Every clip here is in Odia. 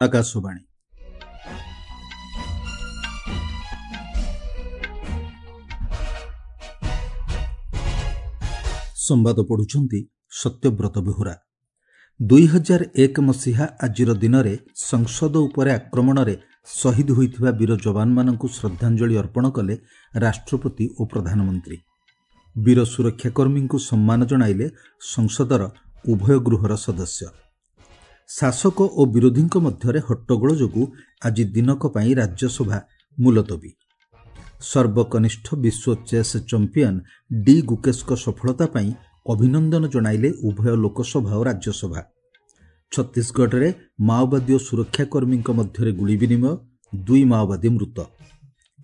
ଆକାଶବାଣୀ। ସମ୍ବାଦ ପଢୁଛନ୍ତି ସତ୍ୟବ୍ରତ ବେହୁରା। 2001 ମସିହା ଆଜିର ଦିନରେ ସଂସଦ ଉପରେ ଆକ୍ରମଣରେ ଶହୀଦ ହୋଇଥିବା ବୀର ଯବାନମାନଙ୍କୁ ଶ୍ରଦ୍ଧାଞ୍ଜଳି ଅର୍ପଣ କଲେ ରାଷ୍ଟ୍ରପତି ଓ ପ୍ରଧାନମନ୍ତ୍ରୀ। ବୀର ସୁରକ୍ଷାକର୍ମୀଙ୍କୁ ସମ୍ମାନ ଜଣାଇଲେ ସଂସଦର ଉଭୟ ଗୃହର ସଦସ୍ୟ। ଶାସକ ଓ ବିରୋଧୀଙ୍କ ମଧ୍ୟରେ ହଟ୍ଟଗୋଳ ଯୋଗୁଁ ଆଜି ଦିନକ ପାଇଁ ରାଜ୍ୟସଭା ମୁଲତବୀ। ସର୍ବକନିଷ୍ଠ ବିଶ୍ୱ ଚେସ୍ ଚମ୍ପିଆନ ଡି ଗୁକେଶଙ୍କ ସଫଳତା ପାଇଁ ଅଭିନନ୍ଦନ ଜଣାଇଲେ ଉଭୟ ଲୋକସଭା ଓ ରାଜ୍ୟସଭା। ଛତିଶଗଡ଼ରେ ମାଓବାଦୀ ଓ ସୁରକ୍ଷାକର୍ମୀଙ୍କ ମଧ୍ୟରେ ଗୁଳି ବିନିମୟ, 2 ମାଓବାଦୀ ମୃତ।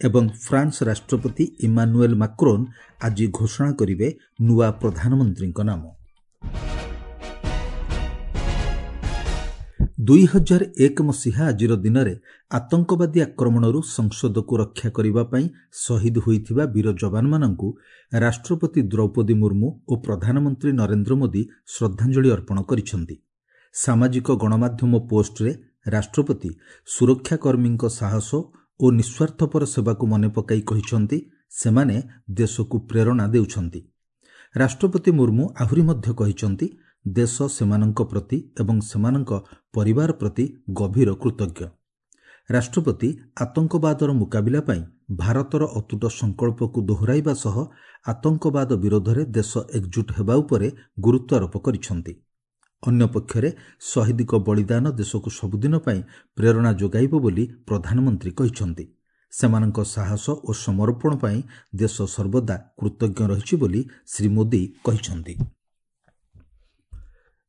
ଏବଂ ଫ୍ରାନ୍ସ ରାଷ୍ଟ୍ରପତି ଇମାନୁଏଲ୍ ମାକ୍ରୋନ୍ ଆଜି ଘୋଷଣା କରିବେ ନୂଆ ପ୍ରଧାନମନ୍ତ୍ରୀଙ୍କ ନାମ। 2001 ମସିହା ଆଜିର ଦିନରେ ଆତଙ୍କବାଦୀ ଆକ୍ରମଣରୁ ସଂସଦକୁ ରକ୍ଷା କରିବା ପାଇଁ ଶହୀଦ ହୋଇଥିବା ବୀର ଯବାନମାନଙ୍କୁ ରାଷ୍ଟ୍ରପତି ଦ୍ରୌପଦୀ ମୁର୍ମୁ ଓ ପ୍ରଧାନମନ୍ତ୍ରୀ ନରେନ୍ଦ୍ର ମୋଦି ଶ୍ରଦ୍ଧାଞ୍ଜଳି ଅର୍ପଣ କରିଛନ୍ତି। ସାମାଜିକ ଗଣମାଧ୍ୟମ ପୋଷ୍ଟରେ ରାଷ୍ଟ୍ରପତି ସୁରକ୍ଷାକର୍ମୀଙ୍କ ସାହସ ଓ ନିଃସ୍ୱାର୍ଥପର ସେବାକୁ ମନେ ପକାଇ କହିଛନ୍ତି, ସେମାନେ ଦେଶକୁ ପ୍ରେରଣା ଦେଉଛନ୍ତି। ରାଷ୍ଟ୍ରପତି ମୁର୍ମୁ ଆହୁରି ମଧ୍ୟ କହିଛନ୍ତି, ଦେଶ ସେମାନଙ୍କ ପ୍ରତି ଏବଂ ସେମାନଙ୍କ ପରିବାର ପ୍ରତି ଗଭୀର କୃତଜ୍ଞ। ରାଷ୍ଟ୍ରପତି ଆତଙ୍କବାଦର ମୁକାବିଲା ପାଇଁ ଭାରତର ଅତୁଟ ସଂକଳ୍ପକୁ ଦୋହରାଇବା ସହ ଆତଙ୍କବାଦ ବିରୋଧରେ ଦେଶ ଏକଜୁଟ ହେବା ଉପରେ ଗୁରୁତ୍ୱାରୋପ କରିଛନ୍ତି। ଅନ୍ୟପକ୍ଷରେ ଶହୀଦଙ୍କ ବଳିଦାନ ଦେଶକୁ ସବୁଦିନ ପାଇଁ ପ୍ରେରଣା ଯୋଗାଇବ ବୋଲି ପ୍ରଧାନମନ୍ତ୍ରୀ କହିଛନ୍ତି। ସେମାନଙ୍କ ସାହସ ଓ ସମର୍ପଣ ପାଇଁ ଦେଶ ସର୍ବଦା କୃତଜ୍ଞ ରହିଛି ବୋଲି ଶ୍ରୀ ମୋଦି କହିଛନ୍ତି।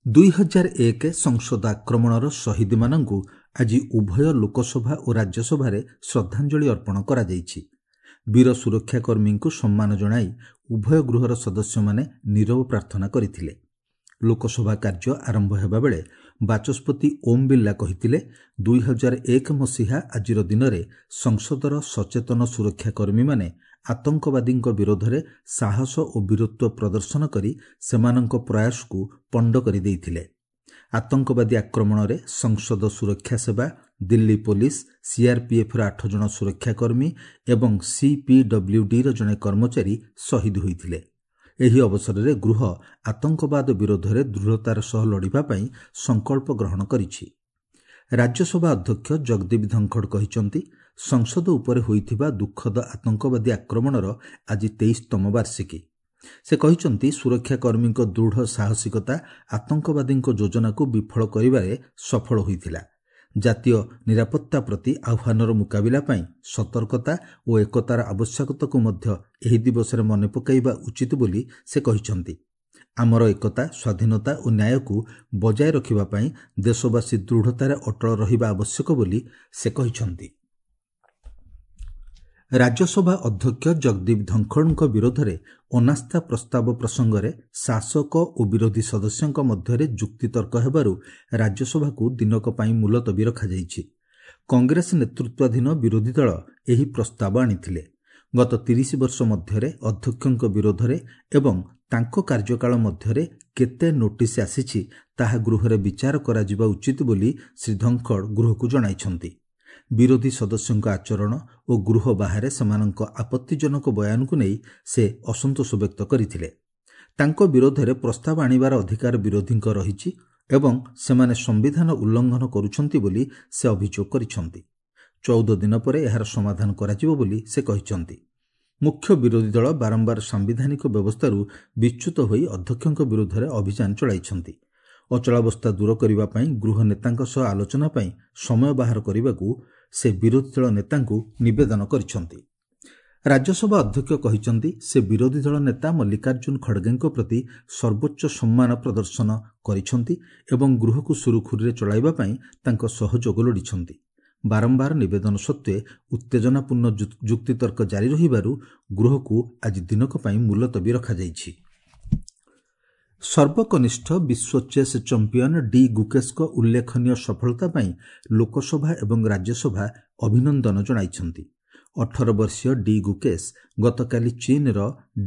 2001 ସଂସଦ ଆକ୍ରମଣର ଶହୀଦମାନଙ୍କୁ ଆଜି ଉଭୟ ଲୋକସଭା ଓ ରାଜ୍ୟସଭାରେ ଶ୍ରଦ୍ଧାଞ୍ଜଳି ଅର୍ପଣ କରାଯାଇଛି। ବୀର ସୁରକ୍ଷାକର୍ମୀଙ୍କୁ ସମ୍ମାନ ଜଣାଇ ଉଭୟ ଗୃହର ସଦସ୍ୟମାନେ ନୀରବ ପ୍ରାର୍ଥନା କରିଥିଲେ। ଲୋକସଭା କାର୍ଯ୍ୟ ଆରମ୍ଭ ହେବାବେଳେ ବାଚସ୍ପତି ଓମ୍ ବିର୍ଲା କହିଥିଲେ, 2001 ମସିହା ଆଜିର ଦିନରେ ସଂସଦର ସଚେତନ ସୁରକ୍ଷାକର୍ମୀମାନେ ଆତଙ୍କବାଦୀଙ୍କ ବିରୋଧରେ ସାହସ ଓ ବୀରତ୍ୱ ପ୍ରଦର୍ଶନ କରି ସେମାନଙ୍କ ପ୍ରୟାସକୁ ପଣ୍ଡ କରିଦେଇଥିଲେ। ଆତଙ୍କବାଦୀ ଆକ୍ରମଣରେ ସଂସଦ ସୁରକ୍ଷା ସେବା, ଦିଲ୍ଲୀ ପୋଲିସ, ସିଆର୍ପିଏଫ୍ର 8 ଜଣ ସୁରକ୍ଷାକର୍ମୀ ଏବଂ ସିପିଡବ୍ଲ୍ୟୁଡିର ଜଣେ କର୍ମଚାରୀ ଶହୀଦ ହୋଇଥିଲେ। ଏହି ଅବସରରେ ଗୃହ ଆତଙ୍କବାଦ ବିରୋଧରେ ଦୃଢ଼ତାର ସହ ଲଢ଼ିବା ପାଇଁ ସଂକଳ୍ପ ଗ୍ରହଣ କରିଛି। ରାଜ୍ୟସଭା ଅଧ୍ୟକ୍ଷ ଜଗଦୀପ ଧନଖଡ଼ କହିଛନ୍ତି, ସଂସଦ ଉପରେ ହୋଇଥିବା ଦୁଃଖଦ ଆତଙ୍କବାଦୀ ଆକ୍ରମଣର ଆଜି 23ତମ ବାର୍ଷିକୀ। ସେ କହିଛନ୍ତି, ସୁରକ୍ଷାକର୍ମୀଙ୍କ ଦୃଢ଼ ସାହସିକତା ଆତଙ୍କବାଦୀଙ୍କ ଯୋଜନାକୁ ବିଫଳ କରିବାରେ ସଫଳ ହୋଇଥିଲା। ଜାତୀୟ ନିରାପତ୍ତା ପ୍ରତି ଆହ୍ୱାନର ମୁକାବିଲା ପାଇଁ ସତର୍କତା ଓ ଏକତାର ଆବଶ୍ୟକତାକୁ ମଧ୍ୟ ଏହି ଦିବସରେ ମନେ ପକାଇବା ଉଚିତ ବୋଲି ସେ କହିଛନ୍ତି। ଆମର ଏକତା, ସ୍ୱାଧୀନତା ଓ ନ୍ୟାୟକୁ ବଜାୟ ରଖିବା ପାଇଁ ଦେଶବାସୀ ଦୃଢ଼ତାରେ ଅଟଳ ରହିବା ଆବଶ୍ୟକ ବୋଲି ସେ କହିଛନ୍ତି। ରାଜ୍ୟସଭା ଅଧ୍ୟକ୍ଷ ଜଗଦୀପ ଧନଖଡ଼ଙ୍କ ବିରୋଧରେ ଅନାସ୍ଥା ପ୍ରସ୍ତାବ ପ୍ରସଙ୍ଗରେ ଶାସକ ଓ ବିରୋଧୀ ସଦସ୍ୟଙ୍କ ମଧ୍ୟରେ ଯୁକ୍ତିତର୍କ ହେବାରୁ ରାଜ୍ୟସଭାକୁ ଦିନକ ପାଇଁ ମୁଲତବୀ ରଖାଯାଇଛି। କଂଗ୍ରେସ ନେତୃତ୍ୱାଧୀନ ବିରୋଧୀ ଦଳ ଏହି ପ୍ରସ୍ତାବ ଆଣିଥିଲେ। ଗତ 30 ବର୍ଷ ମଧ୍ୟରେ ଅଧ୍ୟକ୍ଷଙ୍କ ବିରୋଧରେ ଏବଂ ତାଙ୍କ କାର୍ଯ୍ୟକାଳ ମଧ୍ୟରେ କେତେ ନୋଟିସ୍ ଆସିଛି ତାହା ଗୃହରେ ବିଚାର କରାଯିବା ଉଚିତ ବୋଲି ଶ୍ରୀ ଧନଖଡ଼ ଗୃହକୁ ଜଣାଇଛନ୍ତି। ବିରୋଧୀ ସଦସ୍ୟଙ୍କ ଆଚରଣ ଓ ଗୃହ ବାହାରେ ସେମାନଙ୍କ ଆପତ୍ତିଜନକ ବୟାନକୁ ନେଇ ସେ ଅସନ୍ତୋଷ ବ୍ୟକ୍ତ କରିଥିଲେ। ତାଙ୍କ ବିରୋଧରେ ପ୍ରସ୍ତାବ ଆଣିବାର ଅଧିକାର ବିରୋଧୀଙ୍କ ରହିଛି ଏବଂ ସେମାନେ ସମ୍ବିଧାନ ଉଲ୍ଲଂଘନ କରୁଛନ୍ତି ବୋଲି ସେ ଅଭିଯୋଗ କରିଛନ୍ତି। 14 ଦିନ ପରେ ଏହାର ସମାଧାନ କରାଯିବ ବୋଲି ସେ କହିଛନ୍ତି। ମୁଖ୍ୟ ବିରୋଧୀ ଦଳ ବାରମ୍ବାର ସାମ୍ବିଧାନିକ ବ୍ୟବସ୍ଥାରୁ ବିଚ୍ୟୁତ ହୋଇ ଅଧ୍ୟକ୍ଷଙ୍କ ବିରୋଧରେ ଅଭିଯାନ ଚଳାଇଛନ୍ତି। ଅଚଳାବସ୍ଥା ଦୂର କରିବା ପାଇଁ ଗୃହ ନେତାଙ୍କ ସହ ଆଲୋଚନା ପାଇଁ ସମୟ ବାହାର କରିବାକୁ ସେ ବିରୋଧୀ ଦଳ ନେତାଙ୍କୁ ନିବେଦନ କରିଛନ୍ତି। ରାଜ୍ୟସଭା ଅଧ୍ୟକ୍ଷ କହିଛନ୍ତି, ସେ ବିରୋଧୀ ଦଳ ନେତା ମଲ୍ଲିକାର୍ଜୁନ ଖଡ଼ଗେଙ୍କ ପ୍ରତି ସର୍ବୋଚ୍ଚ ସମ୍ମାନ ପ୍ରଦର୍ଶନ କରିଛନ୍ତି ଏବଂ ଗୃହକୁ ସୁରୁଖୁରୁରେ ଚଳାଇବା ପାଇଁ ତାଙ୍କ ସହଯୋଗ ଲୋଡ଼ିଛନ୍ତି। ବାରମ୍ବାର ନିବେଦନ ସତ୍ତ୍ୱେ ଉତ୍ତେଜନାପୂର୍ଣ୍ଣ ଯୁକ୍ତିତର୍କ ଜାରି ରହିବାରୁ ଗୃହକୁ ଆଜି ଦିନକ ପାଇଁ ମୁଲତବୀ ରଖାଯାଇଛି। ସର୍ବକନିଷ୍ଠ ବିଶ୍ୱ ଚେସ୍ ଚମ୍ପିଆନ ଡି ଗୁକେଶଙ୍କ ଉଲ୍ଲେଖନୀୟ ସଫଳତା ପାଇଁ ଲୋକସଭା ଏବଂ ରାଜ୍ୟସଭା ଅଭିନନ୍ଦନ ଜଣାଇଛନ୍ତି। 18 ବର୍ଷୀୟ ଡି ଗୁକେଶ ଗତକାଲି ଚୀନର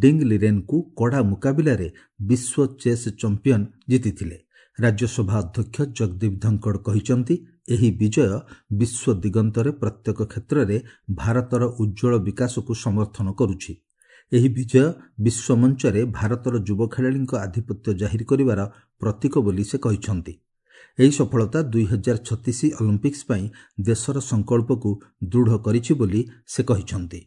ଡିଙ୍ଗ୍ ଲିରେନ୍ଙ୍କୁ କଡ଼ା ମୁକାବିଲାରେ ବିଶ୍ୱ ଚେସ୍ ଚମ୍ପିଆନ ଜିତିଥିଲେ। ରାଜ୍ୟସଭା ଅଧ୍ୟକ୍ଷ ଜଗଦୀପ ଧନଖଡ଼ କହିଛନ୍ତି, ଏହି ବିଜୟ ବିଶ୍ୱ ଦିଗନ୍ତରେ ପ୍ରତ୍ୟେକ କ୍ଷେତ୍ରରେ ଭାରତର ଉଜ୍ଜ୍ୱଳ ବିକାଶକୁ ସମର୍ଥନ କରୁଛି। ଏହି ବିଜୟ ବିଶ୍ୱମଞ୍ଚରେ ଭାରତର ଯୁବ ଖେଳାଳିଙ୍କ ଆଧିପତ୍ୟ ଜାହିର କରିବାର ପ୍ରତୀକ ବୋଲି ସେ କହିଛନ୍ତି। ଏହି ସଫଳତା 2036 ଅଲିମ୍ପିକ୍ସ ପାଇଁ ଦେଶର ସଂକଳ୍ପକୁ ଦୃଢ଼ କରିଛି ବୋଲି ସେ କହିଛନ୍ତି।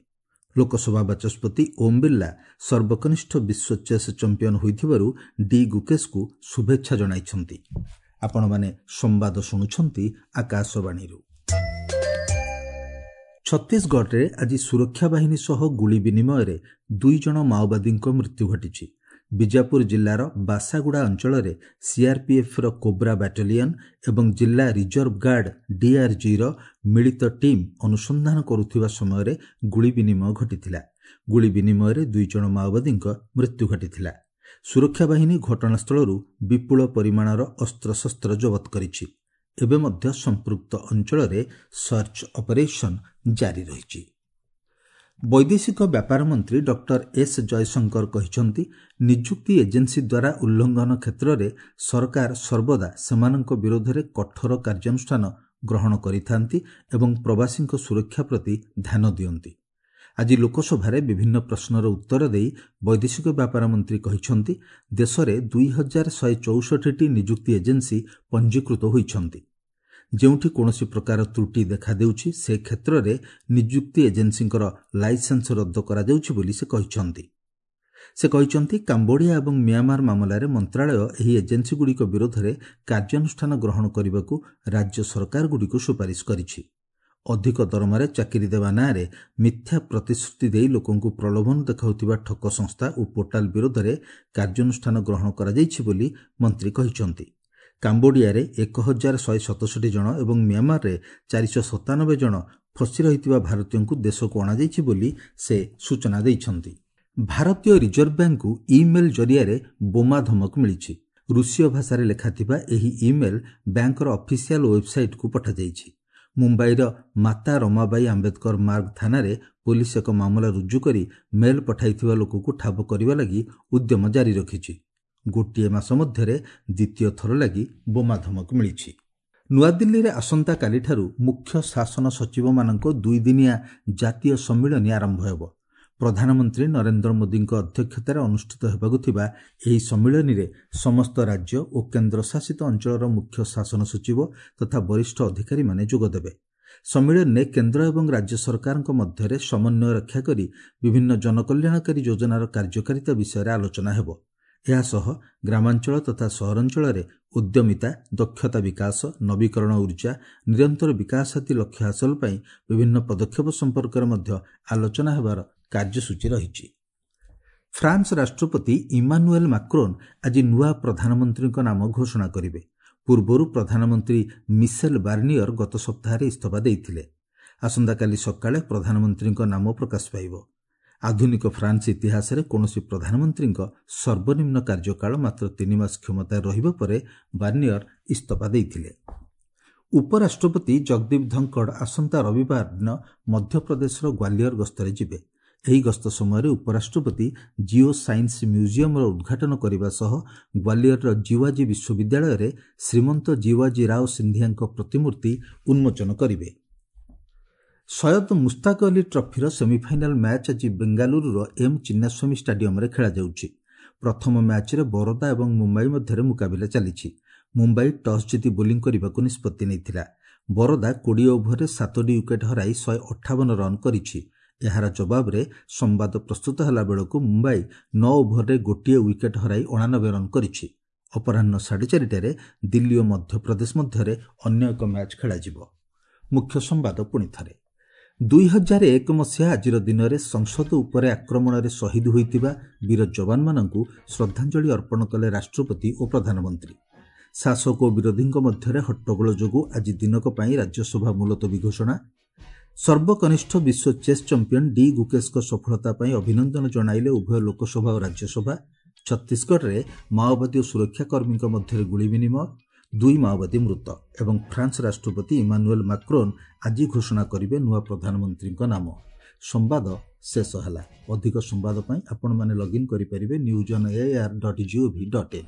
ଲୋକସଭା ବାଚସ୍ପତି ଓମ୍ ବିର୍ଲା ସର୍ବକନିଷ୍ଠ ବିଶ୍ୱ ଚେସ୍ ଚାମ୍ପିୟନ ହୋଇଥିବାରୁ ଡି ଗୁକେଶଙ୍କୁ ଶୁଭେଚ୍ଛା ଜଣାଇଛନ୍ତି। ଆପଣମାନେ ସମ୍ବାଦ ଶୁଣୁଛନ୍ତି ଆକାଶବାଣୀରୁ। ଛତିଶଗଡ଼ରେ ଆଜି ସୁରକ୍ଷା ବାହିନୀ ସହ ଗୁଳି ବିନିମୟରେ 2 ଜଣ ମାଓବାଦୀଙ୍କ ମୃତ୍ୟୁ ଘଟିଛି। ବିଜାପୁର ଜିଲ୍ଲାର ବାସାଗୁଡ଼ା ଅଞ୍ଚଳରେ ସିଆର୍ପିଏଫ୍ର କୋବ୍ରା ବାଟାଲିୟନ ଏବଂ ଜିଲ୍ଲା ରିଜର୍ଭ ଗାର୍ଡ ଡିଆର୍ଜିର ମିଳିତ ଟିମ୍ ଅନୁସନ୍ଧାନ କରୁଥିବା ସମୟରେ ଗୁଳି ବିନିମୟ ଘଟିଥିଲା। ଗୁଳି ବିନିମୟରେ 2 ଜଣ ମାଓବାଦୀଙ୍କ ମୃତ୍ୟୁ ଘଟିଥିଲା। ସୁରକ୍ଷା ବାହିନୀ ଘଟଣାସ୍ଥଳରୁ ବିପୁଳ ପରିମାଣର ଅସ୍ତ୍ରଶସ୍ତ୍ର ଜବତ କରିଛି। ଏବେ ମଧ୍ୟ ସମ୍ପୃକ୍ତ ଅଞ୍ଚଳରେ ସର୍ଚ୍ଚ ଅପରେସନ୍ ଜାରି ରହିଛି। ବୈଦେଶିକ ବ୍ୟାପାର ମନ୍ତ୍ରୀ ଡକ୍ଟର ଏସ୍ ଜୟଶଙ୍କର କହିଛନ୍ତି, ନିଯୁକ୍ତି ଏଜେନ୍ସି ଦ୍ୱାରା ଉଲ୍ଲଂଘନ କ୍ଷେତ୍ରରେ ସରକାର ସର୍ବଦା ସେମାନଙ୍କ ବିରୋଧରେ କଠୋର କାର୍ଯ୍ୟାନୁଷ୍ଠାନ ଗ୍ରହଣ କରିଥାନ୍ତି ଏବଂ ପ୍ରବାସୀଙ୍କ ସୁରକ୍ଷା ପ୍ରତି ଧ୍ୟାନ ଦିଅନ୍ତି। ଆଜି ଲୋକସଭାରେ ବିଭିନ୍ନ ପ୍ରଶ୍ନର ଉତ୍ତର ଦେଇ ବୈଦେଶିକ ବ୍ୟାପାର ମନ୍ତ୍ରୀ କହିଛନ୍ତି, ଦେଶରେ 2164ଟି ନିଯୁକ୍ତି ଏଜେନ୍ସି ପଞ୍ଜୀକୃତ ହୋଇଛନ୍ତି। ଯେଉଁଠି କୌଣସି ପ୍ରକାର ତ୍ରୁଟି ଦେଖାଦେଉଛି ସେ କ୍ଷେତ୍ରରେ ନିଯୁକ୍ତି ଏଜେନ୍ସିଙ୍କର ଲାଇସେନ୍ସ ରଦ୍ଦ କରାଯାଉଛି ବୋଲି ସେ କହିଛନ୍ତି। ସେ କହିଛନ୍ତି, କାମ୍ବୋଡିଆ ଏବଂ ମିଆଁମାର ମାମଲାରେ ମନ୍ତ୍ରାଳୟ ଏହି ଏଜେନ୍ସିଗୁଡ଼ିକ ବିରୋଧରେ କାର୍ଯ୍ୟାନୁଷ୍ଠାନ ଗ୍ରହଣ କରିବାକୁ ରାଜ୍ୟ ସରକାରଗୁଡ଼ିକୁ ସୁପାରିଶ କରିଛି। ଅଧିକ ଦରମାରେ ଚାକିରି ଦେବା ନାଁରେ ମିଥ୍ୟା ପ୍ରତିଶ୍ରୁତି ଦେଇ ଲୋକଙ୍କୁ ପ୍ରଲୋଭନ ଦେଖାଉଥିବା ଠକ ସଂସ୍ଥା ଓ ପୋର୍ଟାଲ ବିରୋଧରେ କାର୍ଯ୍ୟାନୁଷ୍ଠାନ ଗ୍ରହଣ କରାଯାଇଛି ବୋଲି ମନ୍ତ୍ରୀ କହିଛନ୍ତି। କାମ୍ବୋଡିଆରେ 1167 ଜଣ ଏବଂ ମିଆଁମାରରେ 497 ଜଣ ଫସି ରହିଥିବା ଭାରତୀୟଙ୍କୁ ଦେଶକୁ ଅଣାଯାଇଛି ବୋଲି ସେ ସୂଚନା ଦେଇଛନ୍ତି। ଭାରତୀୟ ରିଜର୍ଭ ବ୍ୟାଙ୍କକୁ ଇମେଲ୍ ଜରିଆରେ ବୋମା ଧମକ ମିଳିଛି। ରୁଷୀୟ ଭାଷାରେ ଲେଖାଥିବା ଏହି ଇମେଲ୍ ବ୍ୟାଙ୍କର ଅଫିସିଆଲ ୱେବସାଇଟ୍କୁ ପଠାଯାଇଛି। ମୁମ୍ବାଇର ମାତା ରମାବାଇ ଆମ୍ବେଦକର ମାର୍ଗ ଥାନାରେ ପୋଲିସ ଏକ ମାମଲା ରୁଜୁ କରି ମେଲ୍ ପଠାଇଥିବା ଲୋକକୁ ଠାବ କରିବା ଲାଗି ଉଦ୍ୟମ ଜାରି ରଖିଛି। ଗୋଟିଏ ମାସ ମଧ୍ୟରେ ଦ୍ୱିତୀୟ ଥର ଲାଗି ବୋମା ଧମକ ମିଳିଛି। ନୂଆଦିଲ୍ଲୀରେ ଆସନ୍ତାକାଲିଠାରୁ ମୁଖ୍ୟ ଶାସନ ସଚିବମାନଙ୍କ 2 ଦିନିଆ ଜାତୀୟ ସମ୍ମିଳନୀ ଆରମ୍ଭ ହେବ। ପ୍ରଧାନମନ୍ତ୍ରୀ ନରେନ୍ଦ୍ର ମୋଦିଙ୍କ ଅଧ୍ୟକ୍ଷତାରେ ଅନୁଷ୍ଠିତ ହେବାକୁ ଥିବା ଏହି ସମ୍ମିଳନୀରେ ସମସ୍ତ ରାଜ୍ୟ ଓ କେନ୍ଦ୍ରଶାସିତ ଅଞ୍ଚଳର ମୁଖ୍ୟ ଶାସନ ସଚିବ ତଥା ବରିଷ୍ଠ ଅଧିକାରୀମାନେ ଯୋଗଦେବେ। ସମ୍ମିଳନୀରେ କେନ୍ଦ୍ର ଏବଂ ରାଜ୍ୟ ସରକାରଙ୍କ ମଧ୍ୟରେ ସମନ୍ୱୟ ରକ୍ଷା କରି ବିଭିନ୍ନ ଜନକଲ୍ୟାଣକାରୀ ଯୋଜନାର କାର୍ଯ୍ୟକାରିତା ବିଷୟରେ ଆଲୋଚନା ହେବ। ଏହାସହ ଗ୍ରାମାଞ୍ଚଳ ତଥା ସହରାଞ୍ଚଳରେ ଉଦ୍ୟମିତା, ଦକ୍ଷତା ବିକାଶ, ନବୀକରଣ ଉର୍ଜା, ନିରନ୍ତର ବିକାଶ ଆଦି ଲକ୍ଷ୍ୟ ହାସଲ ପାଇଁ ବିଭିନ୍ନ ପଦକ୍ଷେପ ସମ୍ପର୍କରେ ମଧ୍ୟ ଆଲୋଚନା ହେବାର କାର୍ଯ୍ୟସୂଚୀ ରହିଛି। ଫ୍ରାନ୍ସ ରାଷ୍ଟ୍ରପତି ଇମାନୁଏଲ୍ ମାକ୍ରୋନ୍ ଆଜି ନୂଆ ପ୍ରଧାନମନ୍ତ୍ରୀଙ୍କ ନାମ ଘୋଷଣା କରିବେ। ପୂର୍ବରୁ ପ୍ରଧାନମନ୍ତ୍ରୀ ମିସେଲ୍ ବାର୍ନିୟର ଗତ ସପ୍ତାହରେ ଇସ୍ତଫା ଦେଇଥିଲେ। ଆସନ୍ତାକାଲି ସକାଳେ ପ୍ରଧାନମନ୍ତ୍ରୀଙ୍କ ନାମ ପ୍ରକାଶ ପାଇବ। ଆଧୁନିକ ଫ୍ରାନ୍ସ ଇତିହାସରେ କୌଣସି ପ୍ରଧାନମନ୍ତ୍ରୀଙ୍କ ସର୍ବନିମ୍ନ କାର୍ଯ୍ୟକାଳ ମାତ୍ର 3 ମାସ କ୍ଷମତାରେ ରହିବା ପରେ ବାର୍ନିୟର ଇସ୍ତଫା ଦେଇଥିଲେ। ଉପରାଷ୍ଟ୍ରପତି ଜଗଦୀପ ଧନଖଡ଼ ଆସନ୍ତା ରବିବାର ଦିନ ମଧ୍ୟପ୍ରଦେଶର ଗ୍ୱାଲିୟର ଗସ୍ତରେ ଯିବେ। ଏହି ଗସ୍ତ ସମୟରେ ଉପରାଷ୍ଟ୍ରପତି ଜିଓ ସାଇନ୍ସ ମ୍ୟୁଜିୟମର ଉଦ୍ଘାଟନ କରିବା ସହ ଗ୍ୱାଲିୟରର ଜିୱାଜୀ ବିଶ୍ୱବିଦ୍ୟାଳୟରେ ଶ୍ରୀମନ୍ତ ଜିୱାଜୀ ରାଓ ସିନ୍ଧିଆଙ୍କ ପ୍ରତିମୂର୍ତ୍ତି ଉନ୍ମୋଚନ କରିବେ। ସୟଦ ମୁସ୍ତାକ ଅଲି ଟ୍ରଫିର ସେମିଫାଇନାଲ ମ୍ୟାଚ୍ ଆଜି ବେଙ୍ଗାଲୁରୁର ଏମ୍ ଚିନ୍ନାସ୍ୱାମୀ ଷ୍ଟାଡିୟମରେ ଖେଳାଯାଉଛି। ପ୍ରଥମ ମ୍ୟାଚ୍ରେ ବରୋଦା ଏବଂ ମୁମ୍ବାଇ ମଧ୍ୟରେ ମୁକାବିଲା ଚାଲିଛି। ମୁମ୍ବାଇ ଟସ୍ ଜିତି ବୋଲିଂ କରିବାକୁ ନିଷ୍ପତ୍ତି ନେଇଥିଲା। ବରୋଦା 20 ଓଭରରେ 7ଟି ୱିକେଟ୍ ହରାଇ 158 ରନ୍ କରିଛି। ଏହାର ଜବାବରେ ସମ୍ବାଦ ପ୍ରସ୍ତୁତ ହେଲା ବେଳକୁ ମୁମ୍ବାଇ 9 ଓଭରରେ 1 ୱିକେଟ୍ ହରାଇ 89 ରନ୍ କରିଛି। ଅପରାହ୍ନ 4:30ରେ ଦିଲ୍ଲୀ ଓ ମଧ୍ୟପ୍ରଦେଶ ମଧ୍ୟରେ ଅନ୍ୟ ଏକ ମ୍ୟାଚ୍ ଖେଳାଯିବ। ମୁଖ୍ୟ ସମ୍ବାଦ ପୁଣି ଥରେ। 2001 ମସିହା ଆଜିର ଦିନରେ ସଂସଦ ଉପରେ ଆକ୍ରମଣରେ ଶହୀଦ ହୋଇଥିବା ବୀର ଯବାନମାନଙ୍କୁ ଶ୍ରଦ୍ଧାଞ୍ଜଳି ଅର୍ପଣ କଲେ ରାଷ୍ଟ୍ରପତି ଓ ପ୍ରଧାନମନ୍ତ୍ରୀ। ଶାସକ ଓ ବିରୋଧୀଙ୍କ ମଧ୍ୟରେ ହଟ୍ଟଗୋଳ ଯୋଗୁଁ ଆଜି ଦିନକ ପାଇଁ ରାଜ୍ୟସଭା ମୁଲତବୀ ଘୋଷଣା। ସର୍ବକନିଷ୍ଠ ବିଶ୍ୱ ଚେସ୍ ଚାମ୍ପିୟନ ଡି ଗୁକେଶଙ୍କ ସଫଳତା ପାଇଁ ଅଭିନନ୍ଦନ ଜଣାଇଲେ ଉଭୟ ଲୋକସଭା ଓ ରାଜ୍ୟସଭା। ଛତିଶଗଡ଼ରେ ମାଓବାଦୀ ଓ ସୁରକ୍ଷାକର୍ମୀଙ୍କ ମଧ୍ୟରେ ଗୁଳି ବିନିମୟ, 2 ମାଓବାଦୀ ମୃତ। ଏବଂ ଫ୍ରାନ୍ସ ରାଷ୍ଟ୍ରପତି ଇମାନୁଏଲ୍ ମାକ୍ରୋନ୍ ଆଜି ଘୋଷଣା କରିବେ ନୂଆ ପ୍ରଧାନମନ୍ତ୍ରୀଙ୍କ ନାମ। ସମ୍ବାଦ ଶେଷ ହେଲା। ଅଧିକ ସମ୍ବାଦ ପାଇଁ ଆପଣମାନେ ଲଗ୍ଇନ୍ କରିପାରିବେ newsonair.gov.in।